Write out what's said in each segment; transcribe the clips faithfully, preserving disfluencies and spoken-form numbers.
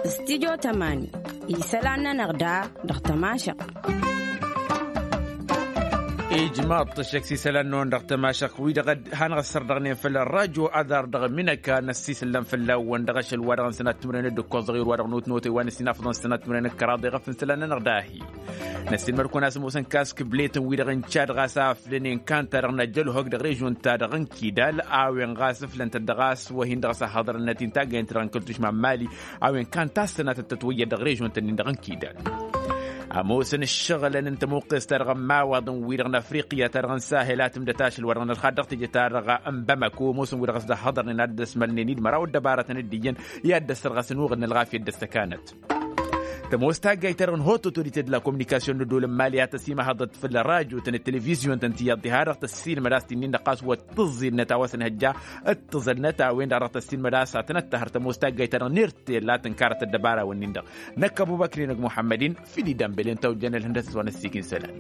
Studyo tămani isălan-nănăɣ da dăɣ-tămašăɣt. Ijmaḍ-t ăššăk s-isălan-năwăn dăɣ-tămašăɣt wi-dăɣ hanăɣ-ăssărdăɣnen făll-ărrajo aḍar dăɣ-minăka n-ăssisǝllăm fălla-wăn dăɣ-ašăl wa-dăɣ n-sănat timǝrăyăn d-ǝkkoẓ dăɣ-i wa-dăɣ n-otnotăy wa n-ăssinafăḍăn sănat timǝrăyăn d-kăraḍ iɣăf n-isălan-nănăɣ dahi. Năssiilmăd-kăwăn a-s ămoosăn kask bletăn-wi-dăɣ n-čad ɣas a ăflănen kan-ta-dăɣ n-ajălhok dăɣ-režon-ta-dăɣ n-kidal a-wen ɣas ǝflăn-tăt dăɣ-a-s wăhin-dăɣ a-s ăhhăḍrănăt-in taggayăn-ti-dăɣ n-kăl-tušma n-mali. A-wen kan tassănatăt tătwăyyăd dăɣ-režon-tăn-in-dăɣ n-kidal. Ămoosăn ǝššăɣǝlăn n-tămoqqes-ta-dăɣ n-imawaḍăn-wi-dăɣ n-afriqya-ta-dăɣ n-sahel a tǝmdăt ašăl wa dăɣ-nălxad dăɣ-teje-ta-dăɣ n-bamako ămoosăn-wi-dăɣ a-s dd-ăhhăḍrănen ad-dd-ăsmălnen-dd măraw ăddăbarătăn d-iyyăn i-ad-dd-ăssărɣăsăn uɣǝd n-ălɣafyăt d-ăssăkanăt. Tămoos taggayt-ta-dăɣ n-haute autorité de la communication n-ăddool n-mali a tăsimahăḍăt făll-ărajotăn d-televizyon-tăn tiyyăḍ diha-dăɣ tăssiilmăd a-s t-innin-dăɣ ɣas wăr t-tǝẓẓilnăt a-wa s-ănhăjja d-tǝẓǝlnăt a-wen-dăɣ dăɣ-tăssiilmăd a-s ad-tăn-ăttăhăr tămoos taggayt-ta-dăɣ n-irtel a tǝnkarăt ăddăbara-wăn-in-dăɣ. Năkk ăbubăkri năgg muḥămmăd-in fil-idambel i-ăntawăjjăn ălhǝndăsăt wa n-ăssiik n-isălan.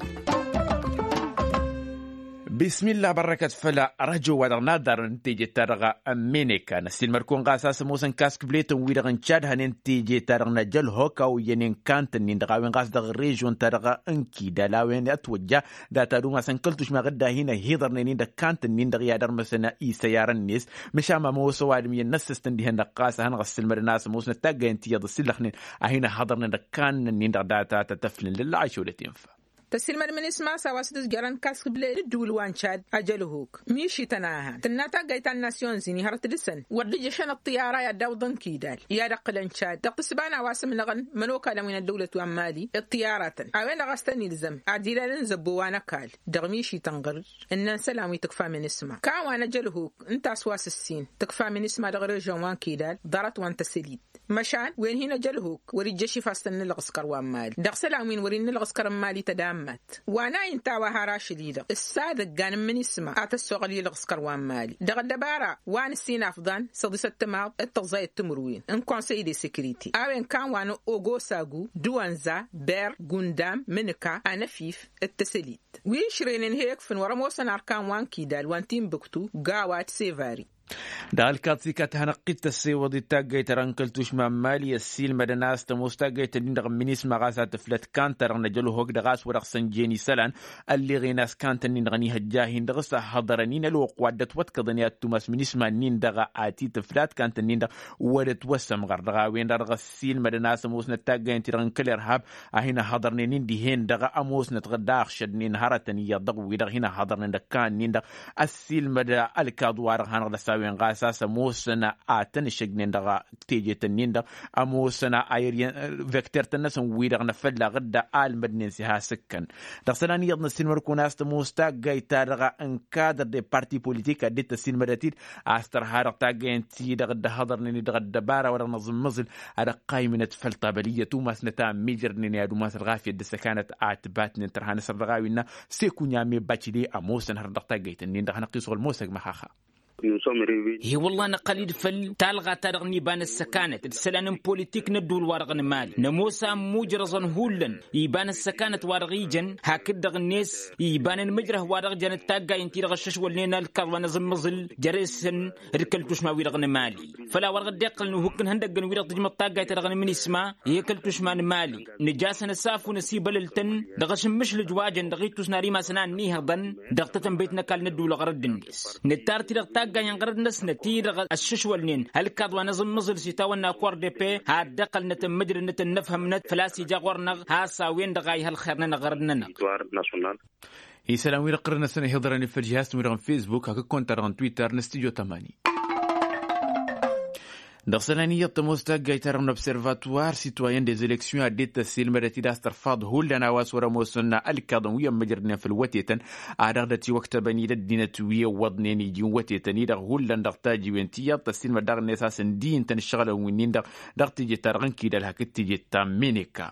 Bismillah bărrăkăt făll-arăjo wa dăɣ-naḍarăn teje-ta-dăɣ ămmeneka năssiilmăd-kăwăn ɣas a-s ămoosăn kask bletăn-wi-dăɣ n-čad hănen teje-ta-dăɣ n-ajălhok a oyyănen kant-ǝnnin-dăɣ a-wen ɣas dăɣ-režon-ta-dăɣ n-kidal a-wen ătwăjja data dumas n-kăl-tušma ɣǝdda a hin-ăhiḍărnen-in-dăɣ kant-ǝnnin-dăɣ i-ad-ărmăsăn isăyarăn-net. Măšan ămoos ăwadǝm iyyăn n-ăssăstăn dihen-dăɣ ɣas a hanăɣ-ăssǝlmădăn a-s ămoosnăt taggayăn tiyyăḍ ǝssǝllăxnen a hin-ăhhăḍărnen dăɣ-kannăn-in-dăɣ data tăt-ăflǝn lălla ašăwlăt infa. Tăsilmăd mǝnisma a-s a-wa s-dd-ǝzjărăn kask ble n-ǝddǝwǝl wa n-čad ajălhuk mišităn a han tǝnna taggayt ta n-nasyon zini hărăt dăɣ-săn wăr dd-ǝjjăšăn ăṭṭiyara i-ad-dawǝḍăn kidal i-ad-ăqqǝlăn čad dăɣ-tǝsba n-a-wa s-ǝmnăɣăn mănokalăn wi n-ăddăwlăt wa n-mali. Ăṭṭiyaratăn a-wen-dăɣ a-s tăn-ilzăm ad-ilal n-zăbbo wa n-ăkall dăɣ-mišităn ɣǝr ǝnnăn isălan wi tǝkfa mǝnisma kawăn ajălhuk ǝnta a-s wa s-ǝssin tǝkfa mǝnisma dăɣ-režon wa n-kidal ḍarăt wa n-tăsălit. Măšan wen hin-ăjălhuk wăr-ijjăš ifastăn n-ǝlɣǝskăr wa n-mali dăɣ-isălan wi n-wăr-in n-ǝlɣǝskăr n-mali tădammat wa n-a inta a-wa har ašăl-i-dăɣ s-ad-ăggan n-imǝnisma a tăssoɣăl i-ǝlɣǝskăr wa n-mali dăɣ-ăddăbara wa n-ǝssin afḍan săḍisăt timaḍ d-tăẓẓayăt timǝrwen n-konsăy de sekrite a-wen kan wa n-ogosagu d-wănza ber gundam mǝnǝka anăfif d-tăsălit wi ǝšrenen he-ǝkfǝn wăr-ămoosăn arkan wa n-kidal wa n-tinbǝktu gawa d-sevari. Dăɣ-ălkaḍ s-ikat hanăɣ-t-ăssewăḍ d-taggayt-ta-dăɣ n-kăl-tušma n-mali ăssiilmădăn a-s tămoos taggayt-nin-dăɣ n-minisma ɣas a tǝflăt kan-ta-dăɣ n-ajălhok dăɣ-a-s wăr-dăɣ-săn jen isălan ălleɣen a-s kan-tăn-nin-dăɣ n-ihăjja a hin-dăɣ s-ăhhăḍărăn-in ălwăqq wa dd-ătwătkăḍăn i-ad-tumas minisma-nin-dăɣ a ti-tǝflat kan-tăn-nin-dăɣ wăr-ătwăsămɣăr dăɣ-a-wen-dăɣ dăɣ-ăssiilmădăn a-s ămoosnăt taggayt-ti-dăɣ n-kăl-irhab a hin-ăhhăḍărnen-in dihen-dăɣ ămoosnăt daɣ šădnen hărătăn iyyăḍ dăɣ-wi-dăɣ hin-ăhhăḍărnen dăɣ-kan-nin-dăɣ ăssiilmăd ălkaḍ-wa-dăɣ hanăɣ-dăɣ s-a-wen ɣas a-s ămoosăn a tăn-ǝššǝjnen dăɣ-teje-tăn-in-dăɣ ămoosăn a irǝyăn vecter-tăn-năsăn wi-dăɣ n-afălla ɣǝdda a ălmădnen s-iha s-ǝkkăn. Dăɣ-isălan iyyăḍ n-ăssiilmăd-kăwăn a-s tămoos taggayt-ta-dăɣ n-kadăr de parti politik ad-dd-tăssiilmădăt-dd a-s tărha dăɣ-taggayăn-ti-dăɣ dd-ăhhăḍărnen-dd dăɣ-ăddăbara wa dăɣ-năẓǝmmăẓǝl ad-ăqqaymǝnăt făll-tabălǝyyăt umasnăt a ămmiijrădnen i-ad-umas ălɣafyăt d-ăssăkanăt a ătbatnen tărha n-asăr dăɣ-a-wi innă. Sekunya mebba cile ămoosăn hărăt dăɣ-taggayt-nin-dăɣ hanăɣ-t-isɣǝl mosăg măxaxa. He-wălla năqqăl-dd făll-talɣa-ta-dăɣ n-iba n-ăssăkanăt d-isălan n-politik n-ădduul-wa-dăɣ n-mali nămoos a ămmujrăẓăn hullan iba n-ăssăkanăt-wa-dăɣ ijăn hakd-dăɣ-net iba n-ănmǝjrăh wa dăɣ-jănăt taggay ǝnta-i-dăɣ ăššăšwălnen ălkaḍ wa n-aẓǝmmăẓǝl jere-săn d-kăl-tušma-wi-dăɣ n-mali. Făl-a-wa dăɣ-dd-iqqălăn uhǝkk n-ihăndăggăn-wi-dăɣ tǝjmăḍ taggayt-ta-dăɣ n-minisma i-kăl-tušma n-mali nǝj'-asăn ăsafu n-asibălăl-tăn dăɣ-ašǝmmǝšlǝj wa jăn dăɣ-ittus n-ad-imasăn a ănniihăḍăn dăɣ-tatănbăyt n-ăkall n-ădduul ɣărădd-net. Nǝttar-t-i-dăɣ taggay n-ɣărădd-năsnăt-i-dăɣ ăššăšwălnen ălkaḍ wa n-aẓǝmmăẓǝl s-itawănna accord de paix ad-dd-ăqqălnăt ămmǝjrădnăt ănnăfhămnăt făl-a-s ija ɣur-năɣ has-a-wen-dăɣ a iha ălxer-nănăɣ ɣărădd-nănăɣ. Isălan-wi-dăɣ ɣur-năsăn ihiḍărăn i-făll-žihaz-tăn-wi-dăɣ n-facebook hakd konta-dăɣ n-twitter n-studio tămani. Dăɣ-isălan iyyăḍ tămoos taggayt-ta-dăɣ n-observatoire citoyen des elections a dd-tăssiilmădăt-dd a-s tărfaḍ hullan a-wa s-wăr-ămoosăn ălkaḍăn wi ămmǝjrădnen făll-wătetăn a dăɣ-dd-ătiwăktăbăn i-dd ăddinăt wi ăwwăḍnen iji n-wătetăn-i-dăɣ hullan dăɣ-tajiwen ti iyyăḍ tăssiilmăd daɣ-net a-s ǝndi ǝnta n-ǝššăɣǝlăn wi-nin-dăɣ dăɣ-teje-ta-dăɣ n-kidal hakd teje ta n-meneka.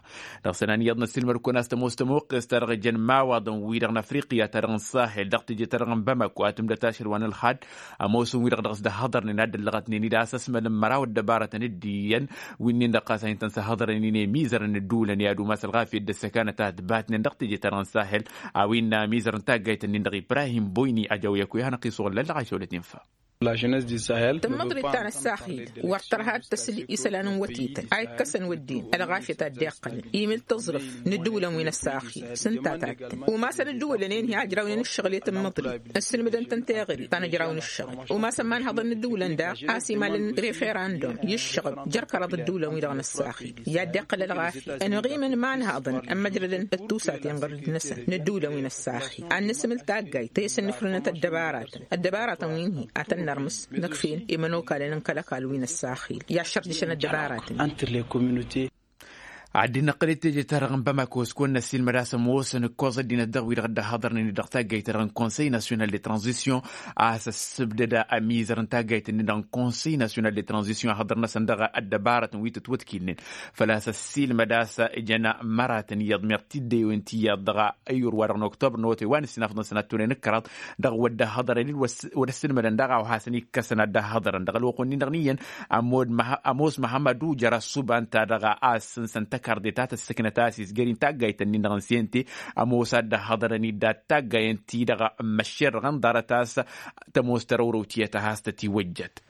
Dăɣ-isălan iyyăḍ năssiilmăd-kăwăn a-s tămoos tămoqqes-ta-dăɣ jăn imawaḍăn-wi-dăɣ n-afriqya-ta-dăɣ n-sahel dăɣ-teje-ta-dăɣ n-bamako a tǝmdăt ašăl wa n-ălxad ămoosăn-wi-dăɣ dăɣ-s dd-ăhhăḍărnen ad-dd-ăllăɣătnen-dd a-s ăsmălăn măraw ăddăbarătăn d-iyyăn wi-nin-dăɣ ɣas a hin-tăn-săhhăḍărnen emizărăn ǝddǝwǝlăn i-ad-umas ălɣafyăt d-ăssăkanăt a ǝtbatnen dăɣ-teje-ta-dăɣ n-sahel. A-wa innă amizăr n-taggayt-nin-dăɣ ibrahim boyni ajăw i-ad-hanăɣ-t-isuɣǝl lălla ašăwlăt infa. Tǝmmăḍrit ta n-ăssaxil wăr tărha ad-tăsǝl isălan n-wătităn a ikkăsăn wădden ălɣafyăt a dd-iqqălăn imǝl tǝẓrǝf n-ǝddǝwǝlăn wi n-ăssaxil. S-ǝnta tattăn umasăn ǝddǝwǝlăn-en hi-a ǝjrawnen ǝššăɣǝl i-tǝmmăḍrit ǝssǝlmǝdăn-tăn teɣăre ta n-ǝjraw n-ǝššăɣǝl. Umasăn ma n-hăḍăn n-ǝddǝwǝlăn daɣ a-s imalăn refera n-dom i-ǝššăɣǝb jer-kăraḍ ǝddǝwǝlăn wi-dăɣ n-ăssaxil i-ad-dd-iqqǝl ălɣafyăt ănɣimăn ma n-hăḍăn ămmăjrădăn d-tusaten ɣur-dăɣ-năsăn n-ǝddǝwǝlăn wi n-ăssaxil ad-nǝsǝmǝl taggayt ta isǝnnǝfrǝnăt ăddăbaratăn. Ăddăbaratăn wi n-hi-a tăn-nărmǝs năkfen i-imănokalăn n-kăl-ăkall wi n-ăssaxil i-ad-šărjǝšăn ăddăbaratăn. Ad-dd-năqqǝl i-teje-ta-dăɣ n-bamako s-kăwăn-năssiilmăd a-s ămoosăn ǝkkoẓ ăddinăt dăɣ-wi-dăɣ dd-ăhhăḍărnen-dd dăɣ-taggayt-ta-dăɣ n-konsăy nasyonal de tranzisyon a-s ăssǝbdăd amiizăr n-taggayt-nin-dăɣ n-konsăy nasyonal de tranzisyon ăhhăḍăr-năsăn dăɣ-ăddăbaratăn wi tǝtwătkilnen. Făl-a-s ăssiilmăd a-s ǝjăn măratăn iyyăḍ meɣ tiddewen ti iyyăḍ dăɣ-ăyyur wa-dăɣ n-oktobăr n-awătay wa n-ǝssin afḍăn-săn ad-t-onen ǝkkăraḍ dăɣ-wădda hăḍărăn-dd wăr ăssiilmădăn daɣ a-wa hasăn-ikkăsăn ad-dd-ăhhăḍărăn dăɣ-ălwăqq-wen-dăɣ n-iyyăn. Ămoos măhămăd ujăr ăssubant-ta-dăɣ a-s ǝnsăn tăkarde ta tăssăknăt a-s izgăr-in taggayt-nin-dăɣ n-sente. Ămoos a dd-ăhhăḍărăn-dd ad-taggayen-ti-dăɣ n-măššer dăɣ-ănḍarăt a-s tămoos tărăwrăw tiyyăt a has-tătiwăjjat.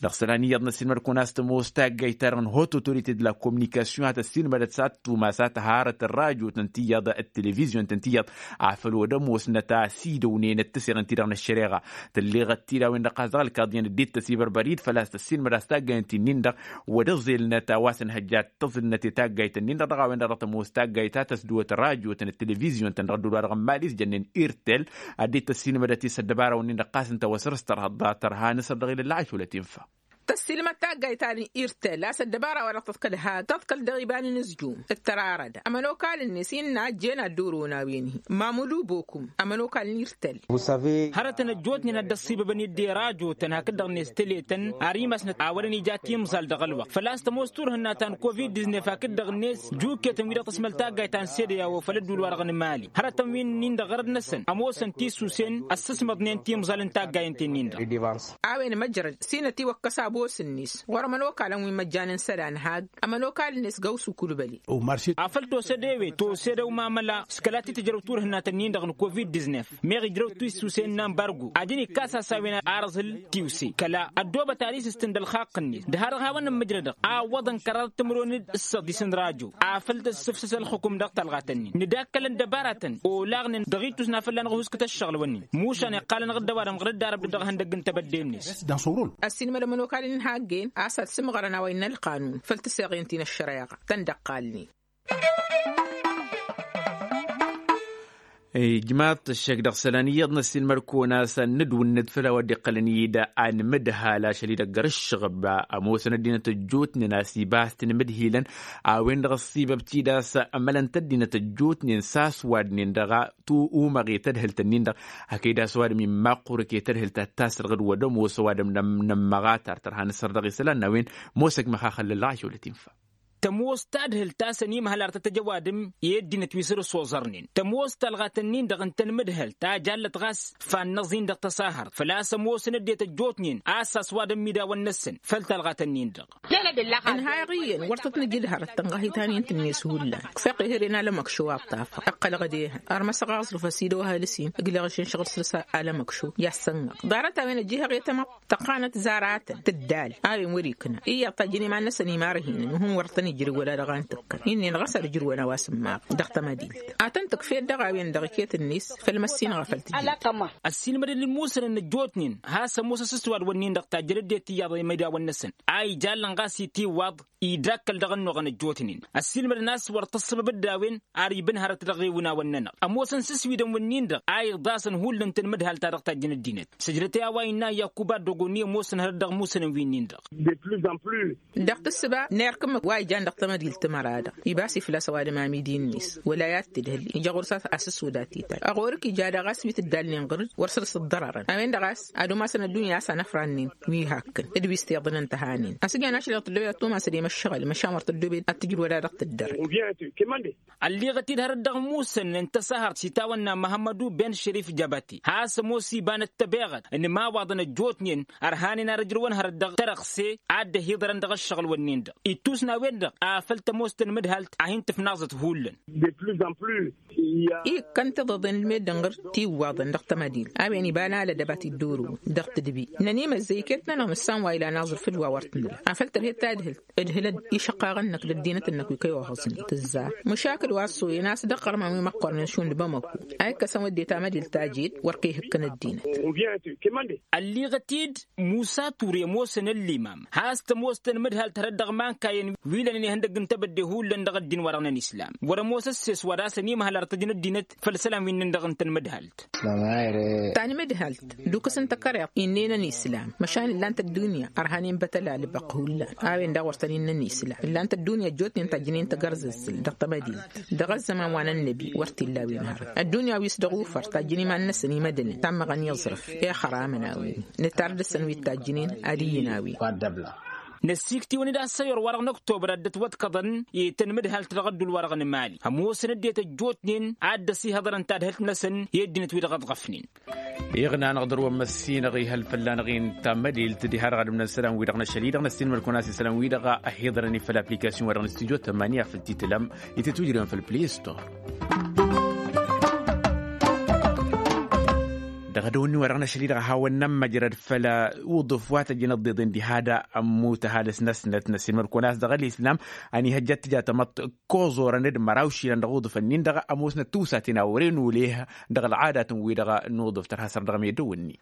Dăɣ-isălan iyyăḍ n-ăssiilmăd-kăwăn a-s tămoos taggayt-ta-dăɣ n-haute autorité de la communication a tăssiilmădăt s-ad-tumas a tăharăt ărrajotăn ti iyyăḍ d-televizyon-tăn ti iyyăḍ afăl wăr ămoosnăt a ăsidăwnen d-taseɣǝnt-ti-dăɣ n-ăššăreɣa. Tălleɣăt-dd a-wen-dăɣ ɣas dăɣ-ălkaḍ iyyăn ăddinăt tăsibărbărit făl-a-s tăssiilmăd a-s taggayăn-ti-nin-dăɣ wăr-ăẓilnăt a-wa s-ănhăjja d-tăẓǝlnăt i-taggayt-nin-dăɣ dăɣ-a-wen-dăɣ dăɣ-tămoos taggayt ta tăsdǝwăt ărrajotăn d-televizyon-tăn dăɣ-ădduul-wa-dăɣ n-mali s-jănnen irtel. Ad-dd-tăssiilmădăt i-s ăddăbara-wǝnnin-dăɣ ɣas ǝnta wa săr-s tărha d-tărha n-asăr dăɣ-ilăl lăɣaš wăla tinfa. Tăssiilmăd taggayt ta n-irtel a-s ăddăbara-wa-dăɣ tăḍkăl hak tăḍkăl dăɣ-iba n-inǝzjum d-tărarăda ămănokal-net innă ăjjeen ad-dd-orăwăn a-wen-hi. Mamǝdu bokum ămănokal n-irtel. Hărătăn ăjjootnen a dd-ăṣṣibăbăn i-dd irajotăn hakd-dăɣ-net tăletăn ar imasnăt a wărăn ija timẓal dăɣ-ălwăqq făl-a-s tămoos turhǝnna ta n-covid-diznef hakd-dăɣ-net juketăn wi-dăɣ tăsmăl taggayt ta n-sede i-a ofăl ădduul-wa-dăɣ n-mali. Hărătăn wi-nin-dăɣ ɣărăd-năsăn ămoosăn tisusen ăssǝsmăḍnen timẓal n-taggayăn-ten-nin-dăɣ. A-wen măjrăd s-inătiwăkkăs abos-net ɣur-ămănokalăn wi măjjan n-isălan hag ămănokal-net gawsu kulbăli. Afăl tosăd ewe tosăd ăwmamăla s-kăla t-tǝjrăw turhǝnna tăn-in-dăɣ n-covid-diznef meɣ ijrăw tisusen n-ambargo. Ad-dd-inǝkkas a-s a-wen ar ăẓhǝl tiwse kăla ăddoobăt ar isǝstǝn d-ălxaqq-net d-ha-dăɣ hawăn-nǝmmǝjrădăɣ a ǝwwăḍăn kăraḍăt timǝrwen d-ǝssăḍis n-rajo. Afăl tǝssǝfsǝs ălxǝkum dăɣ-talɣat-nin nǝdakkălăn dăbaratăn olaɣnen dăɣ-ittus n-ad-fălla-năɣ ăhuskǝt ăššăɣǝl-wǝnnin. Mušan iqqalăn ɣǝr-dd ăwadǝm ɣǝr-dd arăb-dd dăɣ-ehăndăgg n-tebădde-net. Ăssiilmăd ămănokal-in haggăyăn a-s ad-sǝmɣărăn a-wa innă ălqanun făll-tǝseɣen ti n-ăššăreɣa tăn-dd-ăqqalnen. Ijmaḍ-t ăššăk dăɣ-isălan iyyăḍ n-ăssiilmăd-kăwăn a-s ad-nǝdwǝnnǝd făll-a-wa dd-iqqălăn-dd anmǝdhal ašăl-i-dăgg ăr ǝššăɣǝb. Ămoosăn ăddinăt ăjjootnen a-s iba a-s t-inmǝdhilăn a-wen-dăɣ ăṣṣibăb-t-dd a-s ămălăn-t ăddinăt ăjjootnen s-aswadnen dăɣ-a umăɣ i-tadhǝlt-ǝnnin-dăɣ. Hakd a-s ăwadǝm immaqurǝk i-tadhǝlt a t-tasrăɣ d-wăr ămoos ăwadǝm n-ămmăɣ a tar tărha n-asăr dăɣ-isălan n-a-wen. Mosăk măxaxăl lăllaɣ ašăwălăt infa. Tămoos tadhǝlt a-s ănimhăl ar tăt-ăj ăwadǝm i-ăddinăt wi săr-s oẓărnen tămoos talɣat-ǝnnin-dăɣ ǝntăn mǝdhăl ta jallăt ɣas. Fannăẓ-in dăɣ-tăsahărt făl-a-s ămoosăn ăddinăt ăjjootnen a-s a-s ăwadǝm idawăn-năsăn făll-talɣat-ǝnnin-dăɣ. Ǝnhayăɣ iyyăn wăr tăt-nǝj d-hărăt tănɣăhit a n-intǝnnes hullan. Kfeɣ ehăre n-alămăkšo a ṭṭafăɣ ǝqqălăɣ d-ehăn ărmăsăɣ aẓrǝf ăsidăw ahăl ǝsin ǝgleɣ ašănšăɣ d-săr-s alămăkšo i-ad-sănnăɣ. Ḍarăt-a-wen ăjjihăɣ i-tamăḍt tăqqanăt zaratăn tǝddal a-wen wăr-ikna iyyăḍ tajjăn iman-năsăn imarhinen uhǝn wăr tăn-ijrǝw wăla dăɣ-a n-tǝkkăn. Innin ɣas ad-ǝjrǝwăn a-wa s-ǝmmaɣ dăɣ-tamădilt a tăn-tǝkfed dăɣ-a-wen-dăɣ iket-net făll-măssinăɣ a făl tǝjjǝd. Ăssiilmădăn i-musănăn ăjjootnen has-ămoos asǝswad-wǝnnin-dăɣ tajjăn ăddinăt iyyăḍ i-imidawăn-năsăn a ijallăn ɣas itiwwaḍ idakkăl dăɣ-ănnuɣăn ăjjootnen. Ăssiilmădăn a-s wăr tăssăbăb d-a-wen ar ibǝnhărăt dăɣ-ewǝnawăn-nănăɣ ămoosăn s-ǝswidăn-wǝnnin-dăɣ a iḍasăn hullan tăn-mǝdhal-ta-dăɣ tajjăn ăddinăt. Sǝjdăt i-a-wa innă iyyăk uba ăddogo n-i ămoosăn hărăt dăɣ-imusănăn wi-nin-dăɣ. Dăɣ-tǝssǝba n-erk ǝmmǝk wa ijan dăɣ-tamădilt timăra-dăɣ ibas-i făl-a-s ăwadǝm amidi-net wăla i-ad-tǝdhǝl ija ɣur-s asǝswǝd a t-itajj. Ăɣorǝk ija daɣ a-s wi tǝddalnen ɣǝr-dd wăr săr-s ǝḍḍărărăn a-wen-dăɣ a-s ad-umasăn ăddunya a-s anăfrannen wi hakkăn d-wi s-tiḍǝnăn tăhanen. Ăsǝjan ašăl-i-dăɣ tăddoobed ad-tumasăd i-măššăɣǝl măšan wăr tăddoobed ad-tǝjrǝwăd a dăɣ-tǝddărăd. Ălliɣăt-dd hărăt dăɣ-imusănăn n-tăsahărt s-itawănna măhămmădu ben šărif jăbăte has-ămoos iba n-ăttăbeɣăt n-imawaḍăn ăjjootnen ărhanen ar ǝjrǝwăn hărăt dăɣ-tărăɣse ad-dd-ăhiḍărăn dăɣ-ǝššăɣǝl-wǝnnin-dăɣ. Ittus n-a-wen-dăɣ afăl tămoos tanmǝdhalt a hin-tǝfnaẓăt hullan. Ikkăn tiḍeḍen d-meddǝn ɣǝr tiwwaḍăn dăɣ-tamădil a-wen iba n-alădăb a t-dd-orǝwăn dăɣ-tǝdbi. Nănimăzzăy iket-nănăɣ nǝssan wa ilan aẓrǝf d-wa wăr t-nǝla afăl tărhed tadhǝlt. Ǝdhǝlăd išăqqaɣăn-năk d-ăddinăt-năk wi kăy-oɣăẓnen tǝzzar. Măšakǝl wa ăṣṣoyăn a-s dăɣ-iɣărman wi măqqornen šund bamăko a ikkăsăn wădden tamădilt ta jed wăr kăy-ihǝkkăn ăddinăt. Ălliɣăt-dd musa ture ămoosăn ăllimam has-tămoos tanmǝdhalt hărăt dăɣ-imankayăn wi lănen ihăndăgg n-tebădde hullan dăɣ-ăddin wa dăɣ-năn islam wăr-ămoos ăsses wa d-asăn imhăl ar tăjj n-ăddinăt făll-isălan wi ǝnnăn dăɣ-n tanmǝdhalt. Tanmǝdhalt d-ukǝs n-takăriḍt innenăn islam măšan ǝllan-t ăddunya ărhanen bătăla lǝbăq hullan. A-wen daɣ wăr tăn-innăn islam ǝllan-t ăddunya ăjjootnen tajjǝnen tagărzăzzǝl dăɣ-tamădint dăɣ-ăzzăman wa n-ănnăbi wăr t-illa a-wen hărăt ăddunya wi s-dăɣ-ufăr tajjǝn iman-năsăn imădănen tammăɣăn i-aẓrǝf. Ixăramăn a-wen nǝtar dăɣ-săn wi t-tajjǝnen ad-iyyǝn a-wen. Năsiktiwăn-dd a-s ăyyor-wa-dăɣ n-ăktobăr ad-dd-ătwăḍkăḍăn i-tanmǝdhalt dăɣ-ădduul-wa-dăɣ n-mali ămoosăn ăddinăt ăjjootnen ad-dd-ăsihăḍărăn tadhǝlt-năsăn i-ăddinăt wi dăɣ-ăḍɣăfnen. Iɣnan ɣ-dăr-wăn măssinăɣ ihăl fălla-năɣ-in tammădilt diha-dăɣ ad-ǝmnăn isălan-wi-dăɣ n-ašăl-i-dăɣ năssinmăl-kăwăn a-s isălan-wi-dăɣ a hi-iḍărăn i-făll-application-wa-dăɣ n-studio tămani afăl t-itǝlăm itǝtwǝjrewăn făll-play store. Dăɣ-edăwănni-wa-dăɣ n-ašăl-i-dăɣ a hawăn-nămmăjrăd făll-uḍǝf wa tăjjăn ǝḍḍeḍen diha d-ămmut ăhalǝs-năsnăt năssinmăl-kăwăn a-s dăɣ-ălislam ănihăjja ad-tǝja tamăḍt koẓorăn d-măraw išilan dăɣ-uḍǝf-ǝnnin-dăɣ ămoosnăt tiwsaten a wăren uleh dăɣ-ălɣadatăn-wi-dăɣ n-uḍǝf tărha săr dăɣ-medăwănni.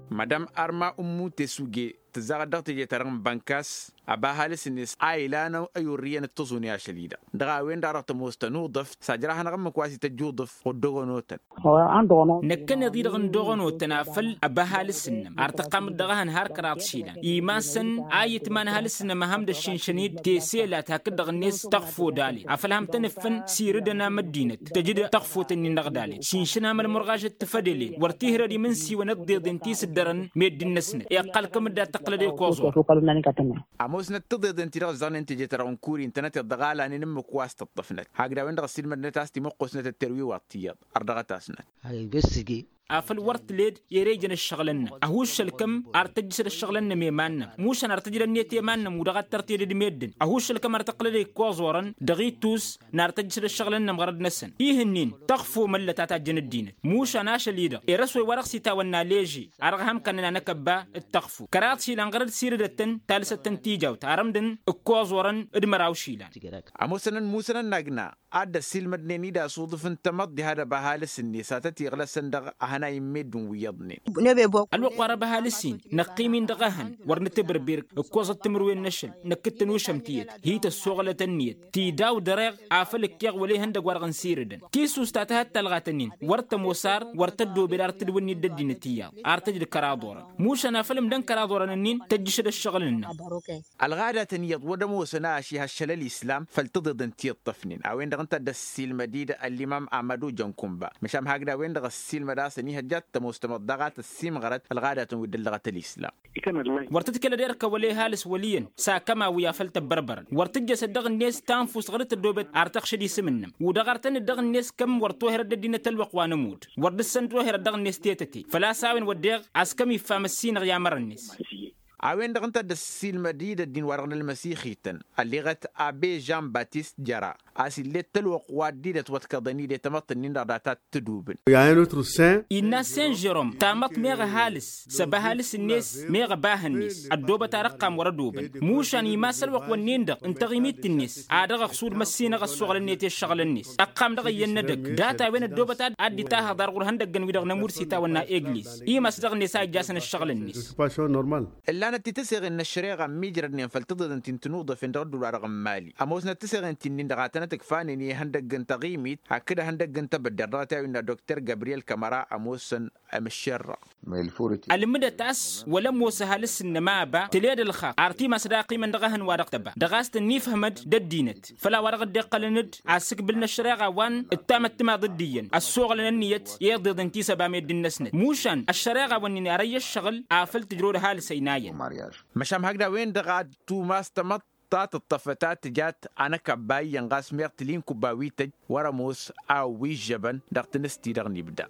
Madam arma ummu tesuge tǝzzaɣăt dăɣ-teje-ta-dăɣ n-bănkas ăba ăhalǝs-net a ilan ăyurrǝyăn d-tăẓune ašăl-i-dăɣ dăɣ-a-wen-dăɣ a dăɣ-tămoos tăn-uḍǝf s-ajrahanăɣ ǝmmǝk wa s-ităjj uḍǝf. Ɣur-dd ogonotăn. Năkkăneḍ-i-dăɣ n-doɣănotăn afăl ăba ăhalǝs-nănăɣ ar tăqqamăt dăɣ-ehăn har kăraḍ išilan iman-săn a iyǝtman ăhalǝs-nănăɣ mahăm d-ăššinšăn-dd teselat hakd-dăɣ-net tăɣfo dalet afăl ham tăn-ǝffǝn sirǝdăn am ăddinăt tăjǝd tăɣfot-ǝnnin-dăɣ dalet šinšǝn am ălmărɣažăt tǝfădălen wăr t-ihrăd imǝnsiwăn ǝḍḍeḍen ti s-ǝddărăn meddǝn-năsnăt iqqăl kămǝddat tăqlăd i-koẓor. Ămoosnăt tiḍeḍen-ti-dăɣ ǝzzăɣnen teje-ta-dăɣ n-kuri ǝntănăteḍ dăɣ-alanen ǝmmǝk wa s-tǝṭṭăfnăt hakd a-wen-dăɣ ăssiilmădnăt a-s timǝqqosnăt ătterwiwaḍ tiyyăḍ. Ărdăɣăt-asnăt. Ăhuššăl kăm ar tăjjǝšăd ăššăɣǝl-nănăɣ i-iman-nănăɣ mušan ar tăjrănnet i-iman-nănăɣ udăɣ ad-tărtedăd meddǝn ăhuššăl kăm ar tăqlăd i-ikoẓorăn dăɣ-ittus n-ar tăjjǝšăd ăššăɣǝl-nănăɣ ɣărăd-năsăn. Ih'-ǝnnin tăɣfo măllăt a tajjăn ăddinăt mušan ašăl-i-dăɣ erăswăy wa dăɣ-s itawănna leže a dăɣ-ham kănnăn anăkăbba d-tăɣfo kăraḍ išilan ɣărăd sirǝdăt-tăn talǝsăt-tăn tijawt arămdăn ǝkkoẓorăn d-măraw išilan. Ămoosăn ănmusăn ănnagna ad-dd-ăssiilmădnen-dd a-s uḍǝf n-tamăḍt diha d-ăba ăhalǝs-net a tăt-iɣlăsăn dăɣ-ehănay n-meddǝn wi iyyăḍnen. Ălwăqq wa răba ăhalǝs-in năqqim-in dăɣ-ehăn wăr nǝtǝbǝrbir ǝkkoẓăt timǝrwen n-ašăl năkk d-tănušăm tiyyăt hi-tăssoɣlăt ǝnniyăt tidaw dăreɣ afăl ǝkkeɣ wăla ihăndăgg-wa-dăɣ n-sirǝdăn. Tisus ta tăhăt talɣat-ǝnnin wăr tămoos ar wăr tăddobed ar tǝdwǝnni d-ăddinăt iyyăḍ ar tăjdǝd kăraḍ orăn mušan afăl ǝmdăn kăraḍ orăn-ǝnnin tăjjǝšăd ăššăɣǝl-nănăɣ. Ălɣadatăn iyyăḍ wăr ămoosăn ašihăššăl ălislam făll-tiḍeḍen ti ǝṭṭăfnen a-wen-dăɣ ǝnta a dd-ăssiilmăd-dd ăllimam amădu jănkunba măšan hakd a-wen-dăɣ ăssiilmăd a-s ănihăjja ad-tămoos tamăḍt daɣ a tăssiimɣărăt ălɣadatăn wi dd-ăllăɣăt ălislam. Wăr tǝdkălăd erk ăwălay ăhalǝs wăl' iyyăn s-akăma wi afăl tăbbărbărăn wăr tǝjjăsăd dăɣ-net tanfust ɣur-dd tăddoobet ar tăɣšăd isǝm-nănăɣ udăɣ ar tăn-dd-dăɣ-net kămm wăr toherăd ăddinăt ălwăqq wa n-ămudd wăr dăr-săn toherăd dăɣ-net tetăte făl-a-s a-wen wăddeɣ a-s kămm iffam ăssinăɣ i-amărăn-net. A-wen-dăɣ ǝnta a dd-ăssiilmăd-dd ăddin-wa-dăɣ n-ălmăsixităn ălleɣăt abe žan batist jăra a-s ill'-e d-tălwăqq wa dd-dd-ătwăḍkăḍăn-dd i-tamăḍt-ǝnnin-dăɣ data t-tǝdubǝn. Innă sen žerom tamăḍt meɣ ăhalǝs s-ăba ăhalǝs-net meɣ ăba ehăn-net ăddoobăt ar ăqqam wăr-ădobăn mušan imas ălwăqq-wǝnnin-dăɣ n-taɣimit-net a dăɣ-ăɣsud măssinăɣ ăssoɣlăn-net i-ǝššăɣǝl-net ăqqam dăɣ-iyyăn n-edăgg data-wen ăddoobăt ad-dd-itahaḍar ɣur-ihăndăggăn-wi-dăɣ n-ămur s-itawănna egliz imas dăɣ-net a ijjasăn ăššăɣǝl-net. Ǝllanăt-t tǝseɣen n-ăššăreɣa ămmiijrădnen făll-tiḍeḍen ti n-tinuḍăfen dăɣ-ădduul-wa-dăɣ n-mali ămoosnăt tǝseɣen ti-nin-dăɣ a tănăt-ǝkfanen i-ihăndăgg n-taɣimit hakd ihăndăgg n-tebădder dăɣ-t i-a-wi ǝnna dokter gabriyel kămăra ămoosăn. Ămǝššerrăɣ. Ălmǝdăt a-s wăla ămoos ăhalǝs-nănăɣ ma ăba tǝled ălxaṭṭ ar timas d-aqimăn dăɣ-ehăn wa dăɣ-tăba dăɣ-a-s tǝnnifhămăd d-ăddinăt făll-a-wa dăɣ-dd-iqqălăn-dd asǝkbǝl n-ăššăreɣa wa n-ǝttamăt timaḍ d-iyyăn ăssoɣlăn ǝnniyăt i-iḍeḍen ti s-ăba meddǝn-năsnăt mušan ăššăreɣa-wǝnnin ar ăyy ăššăɣǝl afăl tǝjrăw d-ăhalǝs ăynayăn. Măšan hakd a-wen-dăɣ ad-tumas tamăḍt ta tǝṭṭăfăt a tǝjat anăkabba iyyăn ɣas meɣ tǝli n-kubba wi tăj wăr-ămoos a ăwwižžăbăn dăɣ-tinǝsti-dăɣ n-ibda.